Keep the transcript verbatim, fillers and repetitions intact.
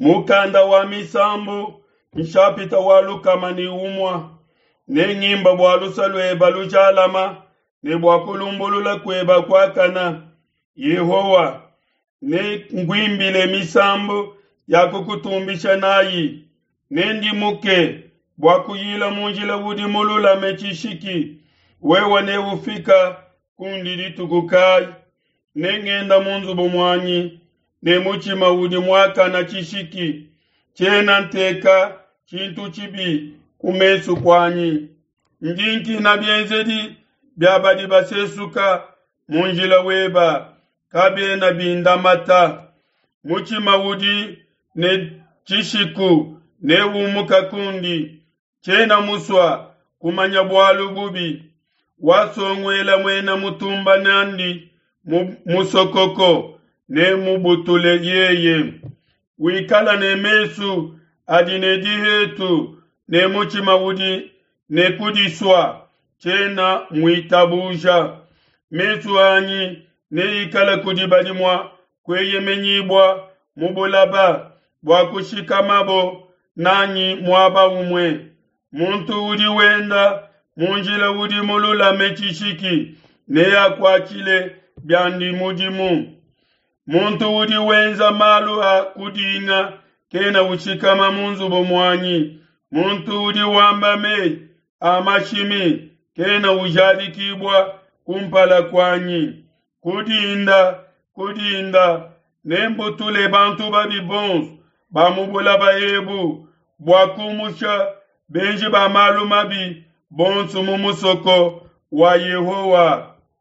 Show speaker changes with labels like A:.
A: Mukanda wa misambu nshapita wa lukama ne umua ne ngimba bua lusa lueba lujalama ne bua kulumbulula kueba kuakana. Yehowa, ne nguimbile misambu ya kukutumbisha nayi, nendimuke bua kuyila mu njila udi mululame tshishiki. Wewe neufika kundi dituku kayi? Nengenda mu nzubu muanyi ne mutshima udi muakana tshishiki. Tshiena nteka tshintu tshibi ku mesu kuanyi. Ndi nkina bienzedi bia badi basesuka mu njila weba, kabiena bindamata. Mutshima udi ne tshishiku neumuka kundi. Tshiena musua kumanya bualu bubi. Wasonguela muena mutumba nandi mu musokoko ne mubutule yeye. Wikala ne mesu adi ne dihetu ne mutshima udi ne kudisua, tshiena muitabuja. Mesu anyi neikale kudi badi mua kueyemenyibua mu bulaba, bua kushikamabo nanyi muaba umue. Muntu udi wenda mu njila udi mululame tshishiki neakuatshile biandi mudimu. Muntu udi wenza malu a kudinga kena ushikama mu nzubu muanyi. Muntu udi wamba meyi a mashimi kena ujadikibua kumpala kuanyi. Kudinda, kudinda, nembutule bantu babi bonso ba mu bulaba ebu, bua kumusha benji ba malu mabi bonso mu musoko wa Yehowa.